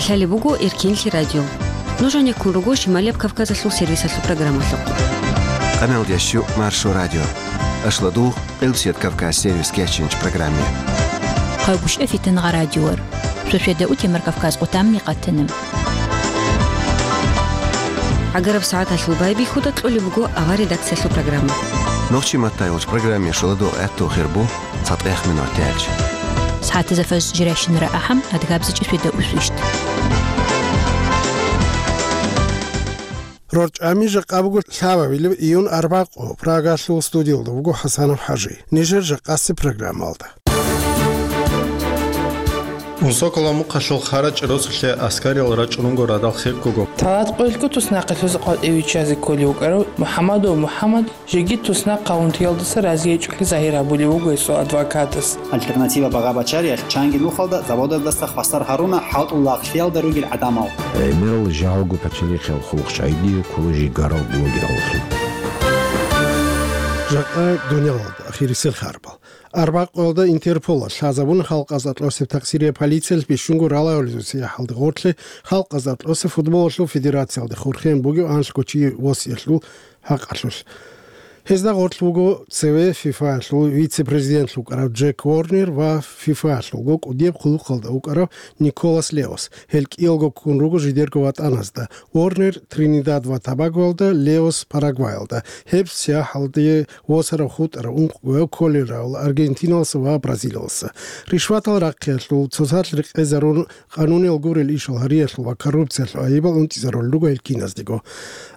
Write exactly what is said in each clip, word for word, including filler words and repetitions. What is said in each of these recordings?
Лъалеб буго Эркенлъи радио. Нуж гьанеккун руго Шималияб Кавказалъул сервисалъул программалъухъ. Къаналдящу Маршо радио. Ашладугъ, Къилбсият Кавказ сервис кечинч программе. Хъайгуща фитангъа радиор. Шошеда утемар Кавказ къутамни къатана. Агараб сагӀаталъул байбихьуда кьолеб буго авар редакциялъул программа. Нохчи матайулч программе шуладугъ гӀатту хирбу. ЦатӀех минут тяч. СагӀатазда фаж жирайщинара ахӀам, адгабзичӀи сведа усвищт. РорчӀами жакъа буго лъабабилеб июнь арбакъо, Прагалъул студиялда буго ХӀасанов ХӀажи. Нижер жакъаси программалда. Унсокола мухъалъул харачӀ росулъе аскариял рачӀунго радал хеккого. Талат къоялъго туснахъе лъузе къватӀивиччазе кколев вукӀарав МухӀаммадов МухӀаммад Жеги туснахъ къавунтиялдаса разиячӀухъе загьир гьабулев вуго гьесул адвокатас. Альтернатива багъа-бачариялъ чанги нухалда заводалдаса хвасар гьаруна хӀалтӀул лагълъиялда ругел гӀадамал. ГӀемерал жагьалго пачалихъял хъулухъчагӀиги ккола жигарал блогераллъун. Жакъа дуниялалда ахирисел харбал. Арбакъоялда Интерполалъ лъазабуна халкъ азатлъосеб такъсирия полициялъ бищунго ралайолезул сияхӀалде гъорлъе халкъ азатлъосеб футболалъул федерациялде хурхен бугев анлъго чи восиялъул хӀакъалъулъ. Гьезда гъорлъ вуго цеве ФИФАялъул вице-президентлъун вукӀарав Джек Уорнер ва ФИФАялъулго кӀудияб хъулухъалда вукӀарав Николас Леос. Гьел кӀиялго ккун руго жидерго ватӀаназда: Уорнер Тринидад ва Тобагоялда, Леос Парагваялда. Гьеб сияхӀалде восарав хутӀарав ункъгояв кколел равал Аргентиналаса ва Бразилияласа. Ришватал рахъиялъул, цоцалъ рекъезарун, къануниял гурел ишал гьариялъул ва коррупциялъул айибал унтӀизарулел руго гьел киназдего.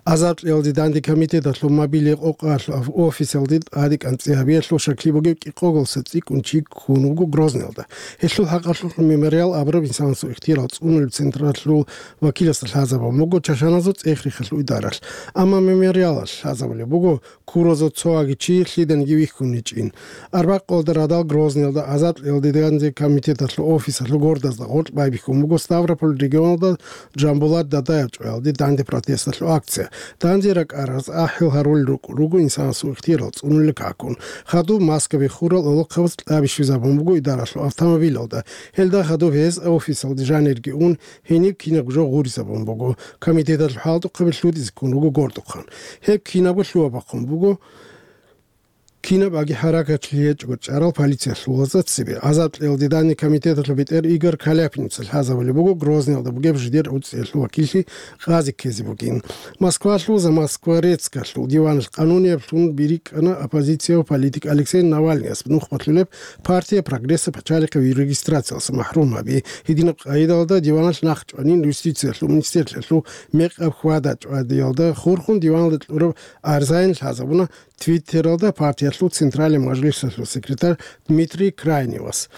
Азаблъиялде данде комитеталъул мобиле къокъалъул офисалде тӀаде кӀанцӀи гьабиялъул шакли бугев кӀикъоголса цӀикӀкӀун чи ккун вуго Грозныйалда. Гьелъул хӀакъалъулъ Мемориал абураб инсанасул ихтиярал цӀунулеб централъул вакиласда лъазабун буго чашаназул цӀех-рехалъул идаралъ. Амма Мемориалалъ лъазабулеб буго Куразул цо аги чи лъиданиги вихьун гьечӀин. Арбакъоялда радал Грозныйалда азаблъиялде данде комитеталъул офисалъул гордазда гъоркь байбихьун буго Ставрополь регионалда Жамбулат Дадаев чӀваялде данде протесталъул акция. Данде ракӀараз ахӀил гьарулел рукӀун руго инсанасул ихтиярал цӀунулел какун. Хадуб маскаби хурал гӀолохъабаз кьаби щвезабун буго идаралъул автомобилалда. Гьелда хадуб гьез офисалде жанирги ун, гьениб кинабго жо гъуризабун буго. Комитеталъул хӀалтӀухъаби лъутӀизе ккун руго гордухъан. Гьеб кинабго лъугьа-бахъун буго. Кинаб аги хӀаракатлъи гьечӀого чӀарал полициялъулазда цебе. Азаблъиялде данде комитеталъул бетӀер Игорь Каляпница лъазабулеб буго Грозныйалда бугеб жидер уцӀиялъул вакиллъи къазе ккезе бугин. Москвалъул Замоскворецкалъул диваналъ къанунияблъун бирикӀкӀана оппозицияв политик Алексей Навальныяс нух балъулеб партия Прогресса пачалихъе регистрациялъа махӀрум гьаби. Гьединаб къайдалда диваналъ нахъ чӀванин юстициялъул министрлъиялъул мекъаб хьвада-чӀвадиялда хурхун диваналда кьураб арзаин лъазабуна Твиттералда партиялъул Централен мажлисалъул секретарь Дмитрий Крайневас.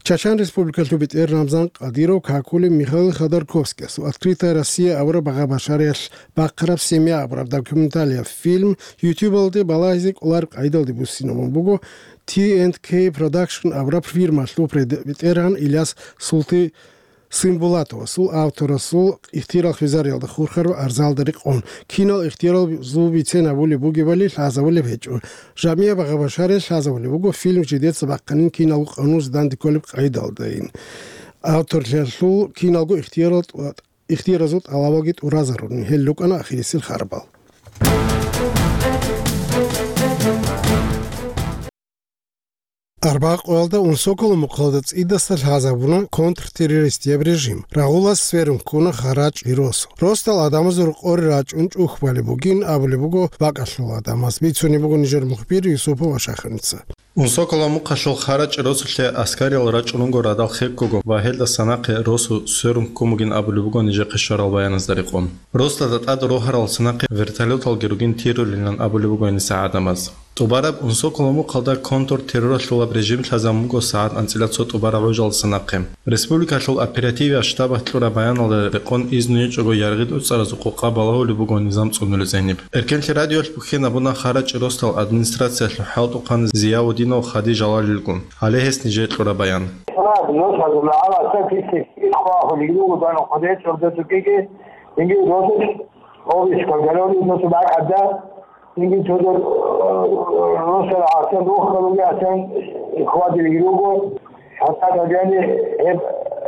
Чачан Республикалъул бетӀер Рамзан Кадыров какулев Михаил Ходорковскиясул «Открытая Россия» абураб багъа-башариялъ бахъараб «Семья» абураб документалияб фильм YouTube-алде балагьизе кӀолареб къайдалде буссинабун буго T and K Production абураб фирмалъул пред-, бетӀергьан Иляс Султи Симбулатовасул авторасул ихтирал хвезариялда хурхараб арзалда рекъон. Кинал ихтиралзул бицен гьабулеб бугебали лъазабулеб гьечӀо. Жамияб багъа-башариялъ лъазабулеб буго фильм жидеца бахъанин киналго къанунизе данде кколеб къайдалдайин. Авторлъиялъул киналго ихтиярал тӀва-, ихтияразул тӀалабалги тӀуразаруни, гьел рукӀана ахирисел харбал. Арбакъоялда Унсокола мухъалда цӀидаса лъазабуна контртеррористияб режим. Рагъулас сверун ккуна харачӀи росу. Росдал гӀадамазул рукъоре рачӀун чӀухбалеб бугин абулеб буго бакӀалъул гӀадамаз, бицунеб буго нижер мухбир Юсупов Ашаханица. Унсокола мухъалъул харачӀи росулъе аскариял рачӀун руго радал хеккого ва гьелдаса нахъе росу сверун ккун бугин абулеб буго нижехъе щварал баяназда рекъон. Росдада тӀад рогьарал санахъе вертолеталги ругин тирулилан абулеб буго гьениса гӀадамаз. ТӀубараб Унсокола мухъалда контртерроралъулаб режим лъазабун буго сагӀат анцӀила цо тӀубараб гӀужалдаса нахъе. Республикалъул оперативиял штабалъ кьураб баяналда рекъон изну гьечӀого яргъи тӀуцӀаразул къокъа балагьулеб буго низам цӀунулезениб. Эркенлъи радиоялъ бухьен абуна харачӀи росдал администрациялъул хӀалтӀухъан Зияудинов Хади Жалалилгун. Гьале гьес нижее кьураб баян. Инги цодор, э, росдал гӀасан рухарулги гӀасан хьвадилги руго, гьатӀа гьеб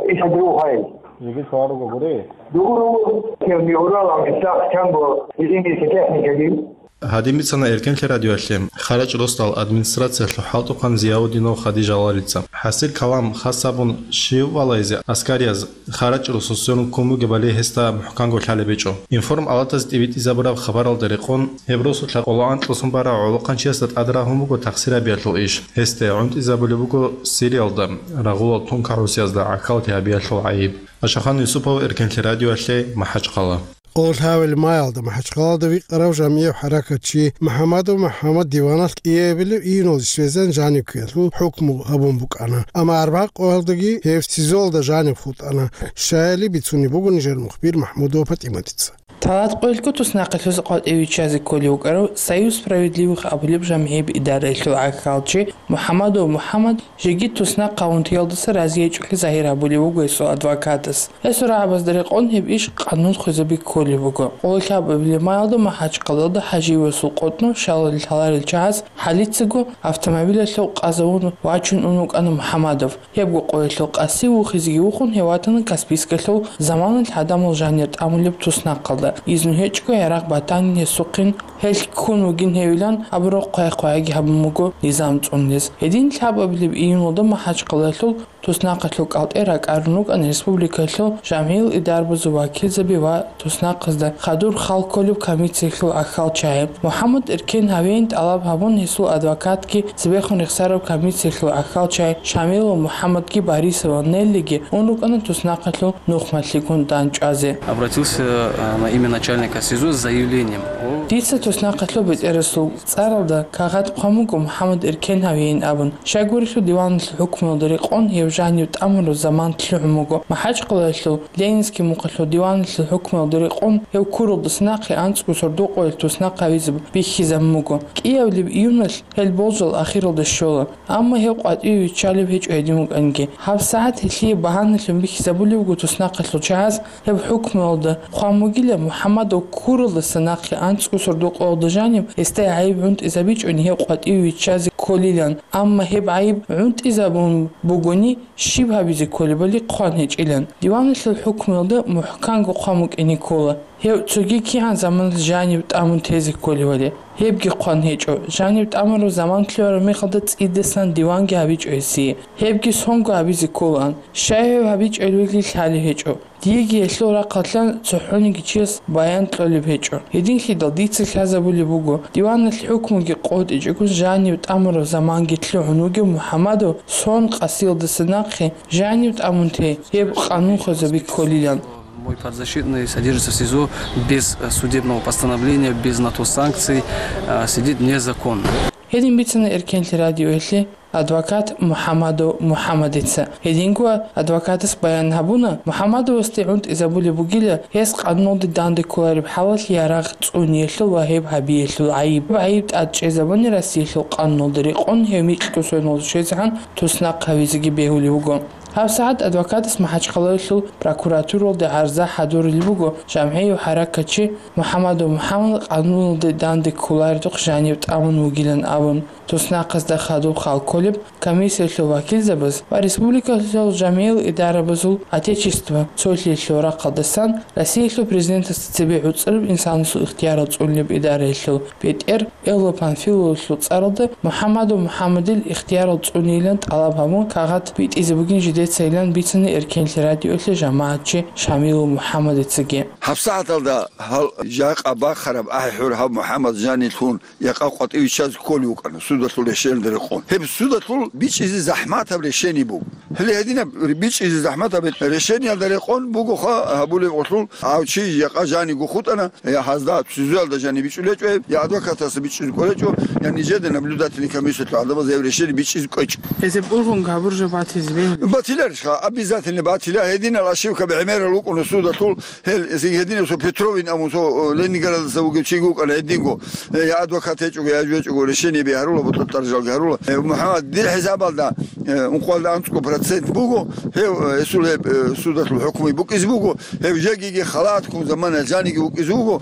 ишад рухӀайин. Жеги цо руго гури. Дугу руго, кем ми уралам, исах чанго, изинги техникаги. Гьадин бицана Эркенлъи радиоялъе, Харачи росдал администрациялъул хӀалтӀухъан Зияудинов Хадижаларица. ХӀасил калам хас гьабун, щив валайзе аскарияз Харачи росулъ сверун ккун бугебали гьесда мухӀканго лъалеб гьечӀо. Информ-алатаз тӀибитӀизабураб хабаралда рекъон, гьеб росулъа къоло анкьлъун барав гӀолохъанчиясда тӀад рагьун буго тахсир гьабиялъул иш. Гьесде гӀунтӀизабулеб буго Сириялда рагъулал тункагӀусиязда гӀахьаллъи гьабиялъул гӀайиб. Ашахан Юсупов, Эркенлъи радиоялъе, МахӀачхъала. Къоло лъабабилеб маялда МахӀачхъалада вихьарав жамгӀияв хӀаракатчи МухӀамадов МухӀамад диваналъ кӀиабилеб июналде щвезан жаниб ккеялъул хӀукму гьабун букӀана. Амма арбагъ къоялдаги гьев СИЗОлда жаниб хутӀана. Щаяли бицунеб буго нижер мухбир МахӀмудова ПатӀиматица. Талат къоялъго туснахъалъуз къватӀиве виччазе кколев вукӀарав Союз справедливых абулеб жамгӀияб идараялъул гӀахьалчи МухӀамадов МухӀамад жеги туснахъ гьавун теялдаса разиячӀухъе загьир гьабулев вуго гьесул адвокатас. Гьесул рагӀабазда рекъон гьеб иш къанун хвезаби кколеб буго. Къоло лъабабилеб маялда МахӀачхъалада ХӀажиевасул къотӀнов щалалил лъаларел чагӀаз хӀалицаго автомобилалъул къазавун вачун ун вукӀана МухӀамадов. Гьебго къоялъул къаси вухизеги вухун, гьев ватана Каспийскалъул заманалъ гӀадамал жанир тӀамулеб туснахъалда. Изну гьечӀого гӀерагъ батанин гьесухъин, гьелъ ккун вугин гьевилан абураб хъвай-хъвайги гьабун буго низам цӀунизе. Гьедин лъабабилеб июналда МахӀачхъалаялъул туснахъалъул кӀалтӀе ракӀарун рукӀана республикалъул жамгӀиял идарабазул вакилзаби ва туснахъазда хадур хал кколеб комиссиялъул гӀахьалчагӀи. МухӀамад эркен гьавейин тӀалаб гьабун, гьесул адвокатги цебехун рехсараб комиссиялъул гӀахьалчагӀи Шамилов МухӀамадги Борисова Неллиги ун рукӀана туснахъалъул нухмалъигун дандчӀвазе. Обратился, э, на имя начальника СИЗО с заявлением о... Дица туснахъалъул бетӀерасул цӀаралда кагъат хъван буго МухӀамад эркен гьавейин абун. Щайгурелъул диваналъул хӀукмуялда рекъон гьев жанив тӀамураб заман лъугӀун буго. МахӀачхъалаялъул Ленинский мухъалъул диваналъул хӀукмуялда рекъон гьев ккуралдаса нахъе анцӀго сордо къоялъ туснахъ гьавизе бихьизабун буго. КӀиабилеб июналъ гьел болжал ахиралда щола. Амма гьев къватӀиве виччалеб гьечӀо гьедин букӀанги. ГьабсагӀат гьелъие багьаналъун бихьизабулеб буго туснахъалъул чагӀаз, гьеб хӀукмуялда хъван бугила МухӀамадов ккуралдаса нахъе анцӀго сордо къоялда жаниб гьесда гӀайиб гӀунтӀизабичӀони гьев къватӀиве виччазе кколилан. Амма гьеб гӀайиб гӀунтӀизабун бугони, щиб гьабизе кколебали хъван гьечӀилан. Диваналъул хӀукмуялда мухӀканго хъван букӀине ккола. Гьев цоги кигӀан заманалъ жанив тӀамун тезе кколевали, гьебги хъван гьечӀо. Жанив тӀамураб заман лъугӀараб мехалда цӀидасан диванги гьабичӀо гьесие. Гьебги сонго гьабизе кколаан. Щай гьев гьабичӀебали лъалеб гьечӀо. Диеги гьелъул рахъалъан цохӀониги чияс баян кьолеб гьечӀо. Гьединлъидал дица лъазабулеб буго, диваналъ хӀукмуги къотӀичӀого жанив тӀамураб заманги лъугӀун вугев МухӀамадов сон къасиялдаса нахъе жанив тӀамун те, гьеб къанун хвезаби кколилан. Мой подзащитный содержится в СИЗО без, э, судебного постановления, без на то санкций, э, сидит незаконно. Гьедин бицана Эркенлъи радиоялъе адвокат МухӀамадов МухӀамадица. Гьединго адвокатас баян гьабуна, МухӀамадовасде гӀунтӀизабулеб бугила гьес къануналде данде кколареб хӀалалъ ярагъ цӀуниялъул ва гьеб гьабиялъул гӀайиб. ГӀайиб тӀад чӀезабуни Россиялъул къануналда рекъон гьев микьго соналъ щвезегӀан туснахъ гьавизеги бегьулев вуго. ГьабсагӀат адвокатас МахӀачхъалаялъул прокуратуралде гӀарза хӀадурулеб буго, жамгӀияв хӀаракатчи МухӀамадов МухӀамад къануналде данде кколаредухъ жанив тӀамун вугилан абун. Туснахъазда хадуб хал кколеб комиссиялъул вакилзабаз ва республикалъул жамгӀиял идарабазул Отечество цолъиялъул рахъалдасан Россиялъул Президентасда цебе гӀуцӀраб инсанасул ихтиярал цӀунулеб идараялъул бетӀер Элло Панфиловалъул цӀаралда МухӀамадов МухӀамадил ихтиярал цӀунейилан тӀалаб гьабун, кагъат битӀизе бугин жидецайилан бицана Эркенлъи радиоялъе жамагӀатчи Шамилов МухӀамадицаги. ГьабсагӀаталда гьал жакъа бахъараб ахӀи-хӀур гьав МухӀамад жанилъун якъа къватӀиве виччазе кколев вукӀана судалъул решениялда рекъон. Гьеб судалъул бичӀчӀизе захӀматаб решение буго. Гьеле гьединаб бичӀчӀизе захӀматаб решениялда рекъон бугоха гьабулеб гъолъул гьав чи якъа жаниго хутӀана, Э, гьазда СИЗОялда жаниб бичӀчӀулечӀо гьеб, я адвокатасда бичӀчӀизе кӀолечӀо, я нижеда наблюдательный комиссиялъул гӀадамазда гьеб решение бичӀчӀизе кӀвечӀо. Гьезеб ургъунги гьабуржаб батизе бегьулеб? Батиларищха, обязательно батила, гьединал ошибка бегӀмерал вукӀуна судалъул, гьел, гьединав цо Петровин абун цо, э, Ленинградалдаса вугев чиги вукӀана гьединго. Э, я адвокат гьечӀого, я жо гьечӀого, решение бегьарула, бутӀа тӀаржалги гьарула. Э, МухӀаммад, дир хӀисабалда, э, ункъоялда анцӀго процент буго, гьев, э, гьесул гьеб, э, судалъул хӀукмуги букӀизе буго, Гьев жегиги халатккун замана жаниги вукӀизе вуго.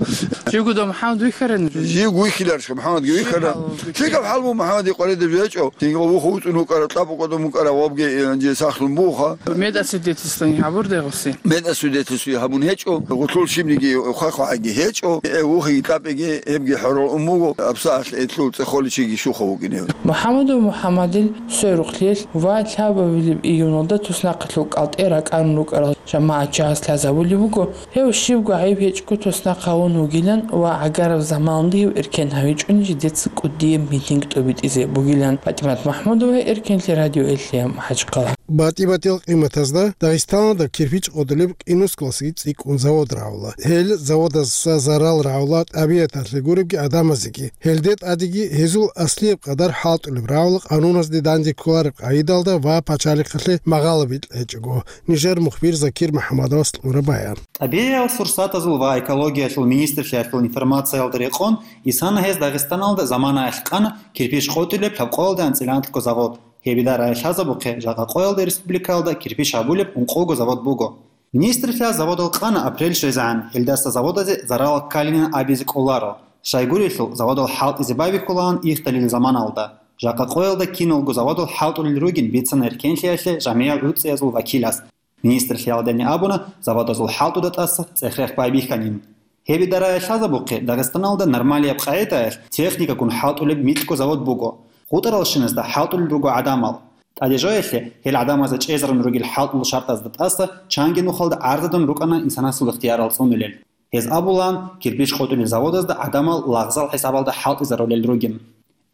Жигуда МухӀаммад вихьарани? Жиг вихьиларищха, МухӀаммадги вихьана. Щиб гьалаб? ЛъикӀаб хӀал буго МухӀаммадил къваридаб жо гьечӀо. Дингъа вуху вуцӀун вукӀара, кьабукъадун вукӀара, вабги, э, анжи сахлъун Уха. Медосвидетельствование гьабур дегъуси? Медосвидетельствование гьабун гьечӀо, гъулъул щибниги хъвай-хъвагӀаги гьечӀо, э, вухиги кьапӀиги гьебги хӀорол ун буго, абсагӀалъ гьелъул цӀехоличиги щухъа вукӀине. МухӀаммадов МухӀаммадил сверухълъиялъ ва лъабабилеб июналда туснахъалъул кӀалтӀе ракӀарун рукӀарал жамагӀатчияс лъазабулеб буго, гьев щибго гӀайиб гьечӀого туснахъ гьавун вугилан ва гӀагараб заманалда гьев эркен гьавичӀони жидеца кӀудияб митинг тӀобитӀизе бугилан. ПатӀимат МахӀмудова, Эркенлъи радио, Элъиям, МахӀачхъала. БатӀи-батӀиял къиматазда Дагъистаналда кирпич къотӀулеб кӀинусгалъги цӀикӀкӀун завод рагӀула. Гьел заводазда зарал рагӀула тӀабигӀаталъе гуребги гӀадамазеги. Гьелде тӀадеги гьезул аслияб къадар хӀалтӀулеб рагӀула къануназде данде кколареб къагӀидалда ва пачалихъалъе магъало бикьа гьечӀого. Нижер мухбир Закир МухӀаммадовас кьура баян. ТӀабигӀиял сурсатазул ва экологиялъул министрлъиялъул информациялда рекъон, исана гьез Дагъистаналда заманаялъ къана кирпич къотӀулеб лъабкъоялда анцӀила анлъго завод. Гьеб идараялъ лъазабухъе, жакъа къоялда республикаялда кирпич гьабулеб ункъого завод буго. Министрлъиялъ заводал къана апрель щвезегӀан, гьелдаса заводазе зарал ккалилан абизе кӀоларо. Щайгурелъул, заводал хӀалтӀизе байбихьулаан ихталил заманалда. Жакъа къоялда киналго заводал хӀалтӀулел ругин бицана Эркенлъиялъе жамигӀал гӀуцӀиязул вакилас. Министрлъиялдани абуна, заводазул хӀалтӀуда тӀаса цӀех-рех байбихьанин. Гьеб идараялъ лъазабухъе, Дагъистаналда нормалияб къагӀидаялъ техникагун хӀалтӀулеб микьго завод буго. ГъутӀаралщиназда хӀалтӀулел руго гӀадамал. ТӀадежоялъе гьел гӀадамазда чӀезарун ругел хӀалтӀул шартазда тӀаса чанги нухалда гӀарзадун рукӀана инсанасул ихтиярал цӀунулел. Гьез абулаан, кирпич къотӀулел заводазда гӀадамал лагъзал хӀисабалда хӀалтӀизарулел ругин.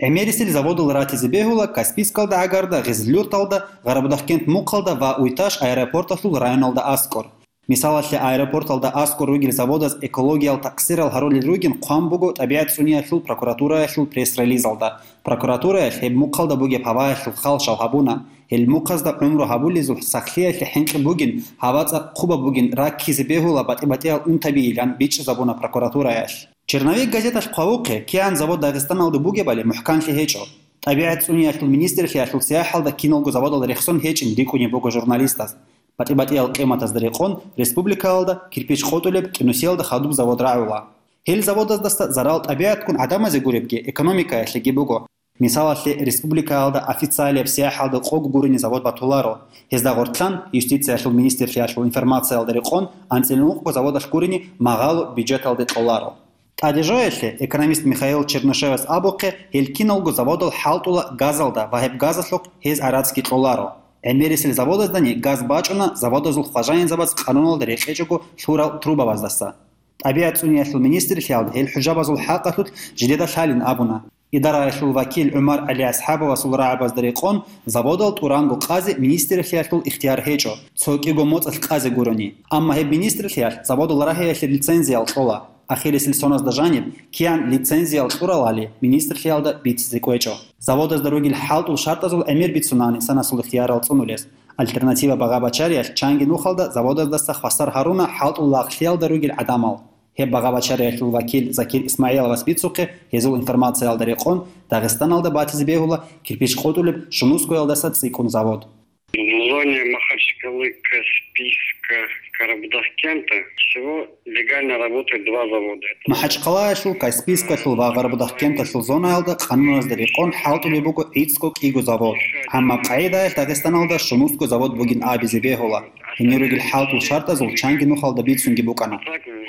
ГӀемерисел заводал ратизе бегьула Каспийскалда гӀагарда, Гъизлюрталда, Гъарабудахкент мухъалда ва Уйташ аэропорталъул районалда аскӀор. Мисалалъе, аэропорталда аскӀор ругел заводаз экологиял такъсирал гьарулел ругин хъван буго ТӀабигӀат цӀуниялъул прокуратураялъул пресс-релизалда. Прокуратураялъ гьеб мухъалда бугеб гьаваялъул хал щал гьабуна. Гьел мухъазда гӀумру гьабулезул сахлъиялъе хӀинкъи бугин, гьава цӀакъ хъубаб бугин, раккизе бегьула батӀи-батӀиял унтабийилан бичӀчӀизабуна прокуратураялъ. «Черновик» газеталъ хъвавухъе, кигӀан завод Дагъистаналда бугебали мухӀканлъи гьечӀо. ТӀабигӀат цӀуниялъул министрлъиялъул сияхӀалда киналго заводал рехсон гьечӀин рикӀкӀунеб буго журналистаз. БатӀи-батӀиял къиматазда рекъон, республикаялда кирпич къотӀулеб кӀинусиялда хадуб завод рагӀула. Гьел заводаздаса зарал тӀабигӀатгун гӀадамазе гуребги, экономикаялъеги буго. Мисалалъе, республикаялда официалияб сияхӀалда къого гурони завод батуларо. Гьезда гъоркьан, юстициялъул министрлъиялъул информациялда рекъон, анцӀила ункъго заводалъ гурони магъало бюджеталде кьоларо. ТӀадежоялъе, экономист Михаил Чернышевас абухъе, гьел киналго заводал хӀалтӀула газалда ва гьеб газалъухъ гьез гӀарацги кьоларо. ГӀемерисел заводаздани газ бачӀуна заводазул хважаинзабаз къануналда рекъечӀого лъурал трубабаздаса. ТӀабигӀат цӀуниялъул министрлъиялда гьел хӀужабазул хӀакъалъулъ жидеда лъалин абуна. Идараялъул вакил ГӀумар ГӀалиасхӀабовасул рагӀабазда рекъон, заводал тӀуранго къазе министрлъиялъул ихтияр гьечӀо, цо кӀиго моцӀалъ къазе гурони. Амма гьеб министрлъиялъ заводал рагьиялъе лицензиял кьола. Ахирисел соназда жаниб, кигӀан лицензиял кьуралали, министрлъиялда бицизе кӀвечӀо. Заводазда ругел хӀалтӀул шартӀазул гӀемер бицунаан инсанасул ихтиярал цӀунулес. Альтернатива багъа-бачариялъ чанги нухалда заводаздаса хвасар гьаруна хӀалтӀул лагълъиялда ругел гӀадамал. Гьеб багъа-бачариялъул вакил Закир ИсмагӀиловас бицухъе, гьезул информациялда рекъон, Дагъистаналда батизе бегьула кирпич къотӀулеб Шунускоялдаса цӀикӀкӀун завод. В зоне Махачкалы, Каспийска, Карабудахкента всего легально работает два завода. МахӀачхъалаялъул, Каспийскалъул ва Гъарабудахкенталъул зонаялда къануназда рекъон хӀалтӀулеб буго гӀицӀго кӀиго завод. Амма къагӀидаялъ Дагъистаналда Шунусго завод бугин абизе бегьула. Гьенир ругел хӀалтӀул шартӀазул чанги нухалда бицунги букӀана.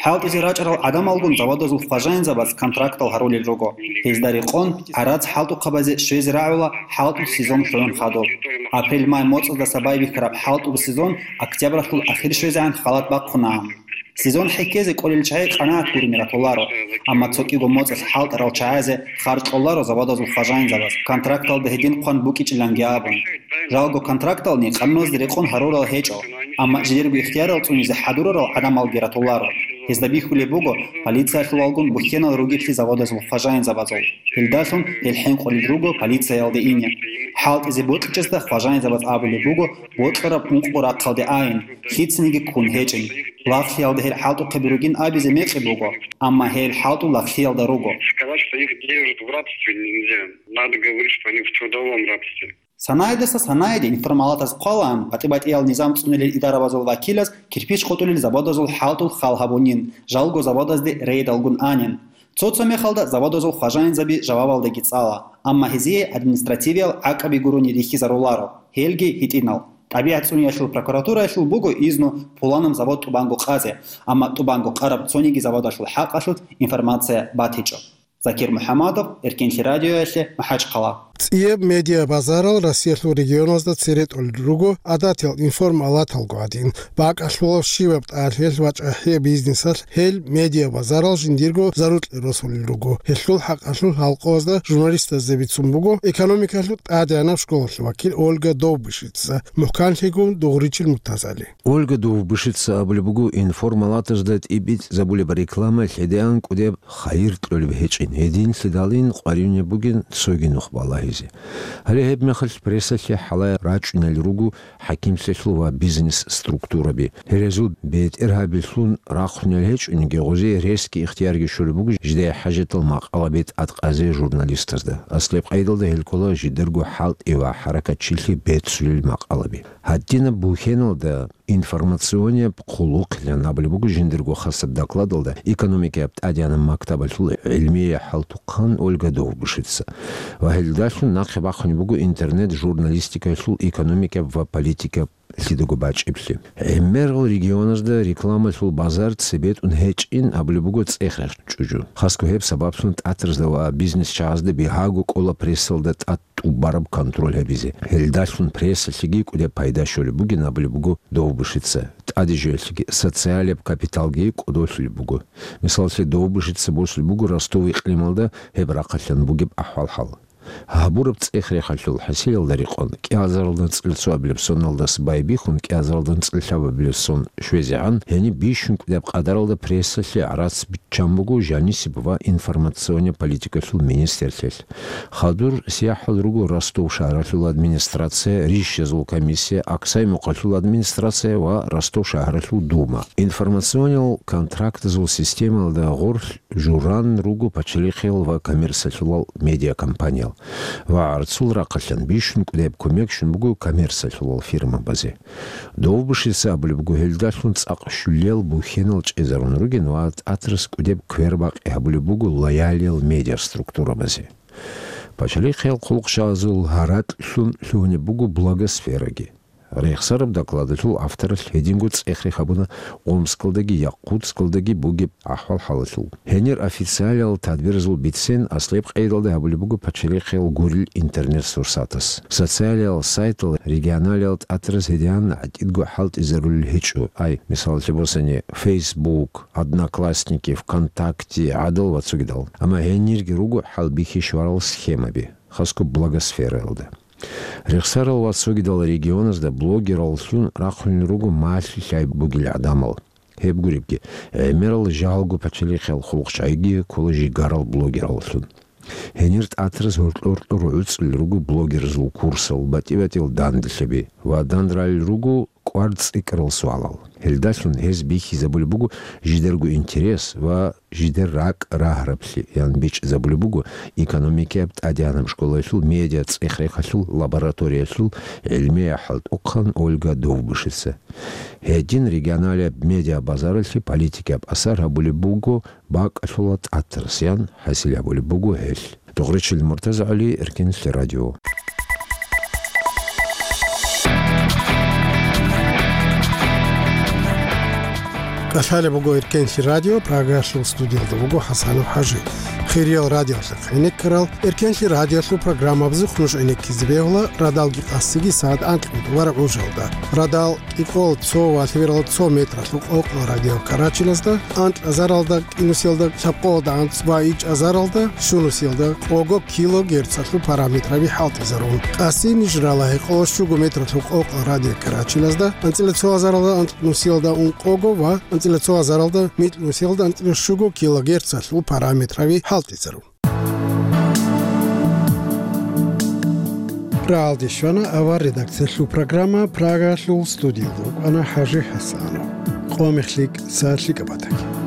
ХӀалтӀизе рачӀарал гӀадамалгун заводазул хважаинзабаз контрактал гьарулел руго. Гьезда рекъон, гӀарац хӀалтӀухъабазе щвезе рагӀула хӀалтӀул сезон лъугӀун хадуб. Апрель-май моцӀаздаса байбихьараб хӀалтӀул сезон октябралъул ахир щвезегӀан халат бахъунаан. Сезон хӀехьезе кӀолел чагӀи къанагӀат гурине ратуларо, амма цо кӀиго моцӀалъ хӀалтӀарал чагӀазе харж кьоларо заводазул хважаинзабаз, контракталда гьедин хъван букӀичӀиланги абун. Жалго контрактални къануназде рекъон гьарурал гьечӀо, амма жидерго ихтиярал цӀунизе хӀадурарал гӀадамалги ратуларо. Гьезда бихьулеб буго полициялъулалгун бухьенал ругеблъи заводазул хважаинзабазул. Гьелдалъун гьел хӀинкъулел руго полициялде ине. ХӀалтӀизе бокьичӀезда хважаинзабаз абулеб буго бокьараб ункъго рахъалде айин, лъицаниги ккун гьечӀин. Лагълъиялда гьел хӀалтӀухъаби ругин абизе мекъи буго, амма гьел хӀалтӀул лагълъиялда руго. Сказать, что их держат в рабстве, нельзя. Надо говорить, что они в трудовом рабстве. Санайдаса санайде информалатаз хъвалаан, батӀи-батӀиял низам цӀунилел идарабазул вакилаз кирпич къотӀулел заводазул хӀалтӀул хал гьабунин, жалго заводазде рейдалгун анин. Цо-цо мехалда заводазул хважаинзаби жавабалдаги цӀала, амма гьезие административиял гӀакъаби гурони рихьизаруларо, гьелги гьитӀинал. ТӀабигӀат цӀуниялъул прокуратураялъул буго изну пуланаб завод тӀубанго къазе, амма тӀубанго къараб цониги заводалъул хӀакъалъулъ информация батичӀо. Закир МухӀаммадов, Эркенлъи радиоялъе, МахӀачхъала. ЦӀияб медиабазарал Россиялъул регионазда цере тӀолел руго гӀадатиял информалаталго гӀадин. БакӀалъулаб щибаб тӀалъиялъ ва чӀахӀияб бизнесалъ гьел медиабазарал жиндирго зарукье росулел руго. Гьелъул хӀакъалъулъ гьалкъоязда журналистазда бицун буго экономикалъул тӀадегӀанаб школалъул вакил Ольга Довбышица, мухӀканлъигун дугъричил Муртазали. Ольга Довбышица абулеб буго, информалатазда тӀибитӀизабулеб реклама лъедегӀан кӀудеб хайир кьолеб гьечӀин, гьединлъидалин къваригӀунеб бугин цоги нух балагьизе. Гьале гьебмехалъ прессалъе хӀалае рачӀунел руго хӀакимлъиялъул ва бизнес-структураби. Гьерезул бетӀергьабилъун рахъунел гьечӀониги, гъозие ресги ихтиярги щолеб буго жидее хӀажатал макъалаби тӀадкъазе журналистазда. Аслаб къайдалда гьел ккола жидерго хӀалтӀи ва хӀаракатчилъи бецулел макъалаби. Гьадинаб бухьеналда информационияб хъулухъилан абулеб буго жиндирго хасаб докладалда экономикаяб тӀадегӀанаб мактабалъул гӀилмияй хӀалтӀухъан Ольга Довбышица. Ва гьелдалъун нахъе бахъунеб буго интернет-журналистикаялъул экономикаяб ва политикаяб лъидаго бачӀиблъи. ГӀемерал регионазда рекламалъул базар цебетӀун гьечӀин абулеб буго цӀех-рех чӀужу. Хасго гьеб сабаблъун тӀатразда ва бизнесчагӀазда бигьаго кӀола прессалда тӀад тӀубараб контроль гьабизе. Гьелдалъун прессалъеги кӀудеб пайда щолеб бугин абулеб буго Довбышица. ТӀаде жоялъеги социалияб капиталги кӀодолъулеб буго. Мисаллъе, Довбышица босулеб буго Ростов икълималда гьеб рахъалъан бугеб ахӀвал-хӀал. Гьабураб цӀех-рехалъул хӀасилалда рекъон, кӀиазаралда анцӀила цоабилеб соналдаса байбихьун, кӀиазаралда анцӀила лъабабилеб сон щвезегӀан, гьениб бищун кӀудияб къадаралда прессалъе гӀарац биччан буго жанисеб ва информационный политикалъул министрлъиялъ. Хадур сияхӀал руго Ростов шагьаралъул администрация, рищазул комиссия, Аксай-Мукъалъул администрация ва Ростов шагьаралъул дума. Информационный контрактазул системалда гъорлъ журан руго пачалихъиял ва коммерциялъулал медиакомпаниял. Ва гӀарцул рахъалъан бищун кӀудеб кумек щун буго коммерциялъулал фирмабазе. Довбышица абулеб буго, гьелдалъун цӀакъ щулиял бухьенал чӀезарун ругин ва тӀатарас кӀудеб квербакъи гьабулеб буго лоялиял медиаструктурабазе. Пачалихъиял хъулухъчагӀазул гьаракьлъун лъугьунеб буго блогосфераги. Рехсараб докладалъул авторалъ гьединго цӀех-рех гьабуна Омскалдаги Якутскалдаги бугеб ахӀвал-хӀалалъул. Гьенир официалиял тадбиразул бицен аслаб къайдалда гьабулеб буго пачалихъиял гурил интернет-сурсатас. Социалиял сайтал регионалиял тӀатараз гьедигӀан гӀатӀидго хӀалтӀизарулел гьечӀо. Ай, мисаллъе босани, Facebook, Одноклассники, ВКонтакте, гӀадал ва цогидал. Амма гьенирги руго хӀалбихьи щварал схемаби, хасго блогосфераялда. Рехсарал ва цогидал регионазда блогераллъун рахъунел руго малъи-лъай бугел гӀадамал. Гьеб гуребги, гӀемерал жалго пачалихъиял хъулухъчагӀиги ккола жигарал блогераллъун. Гьенир тӀатараз гьоркьор-гьоркьор гӀуцӀулел руго блогерзул курсал, батӀи-батӀиял данделъаби ва дандралел руго кӀвар цӀикӀкӀарал суалал. Гьелдалъун гьез бихьизабулеб буго жидерго интерес ва жидер ракӀ рагьараблъи, ян бичӀчӀизабулеб буго экономикаяб тӀадегӀанаб школаялъул медиа цӀех-рехалъул лабораториялъул гӀилмияй хӀалтӀухъан Ольга Довбышица. Гьедин регионалияб медиабазаралъе политикияб асар гьабулеб буго бакӀалъула тӀатарас, ян хӀасил гьабулеб буго гьелъ. Дугъричил МуртазагӀали, Эркенлъи радио. КӀалъалеб буго Эркенлъи радио, Прагалъул студиялда вуго ХӀасанов ХӀажи. Хириял радиолъухъ гӀенеккарал, Эркенлъи радиолъул программабазухъ нуж гӀенеккизе бегьула радалги къасиги сагӀат анкьго тӀубараб гӀужалда. Радал кӀикъоялда цо ва лъебералда цо метралъул къокъла радиокарачилазда, анкьазаралда кӀинусиялда лъабкъоялда анцӀ ва ичӀазаралда щунусиялда къого килогерцалъул параметраби хӀалтӀизарун. Къасин ниж рала гьекъолда щуго метралъул къокъла радиокарачилазда, анцӀила цо азаралда анкьнусиялда ункъого ва анцӀила цо азаралда микьнусиялда анцӀила щуго килогерцалъул параметраби хӀалтӀизарун. Рагьалде щвана авар редакциялъул программа, Прагалъул студиялда вукӀана ХӀажи ХӀасанов. Къо мехлъи, са лъикӀаб батаги.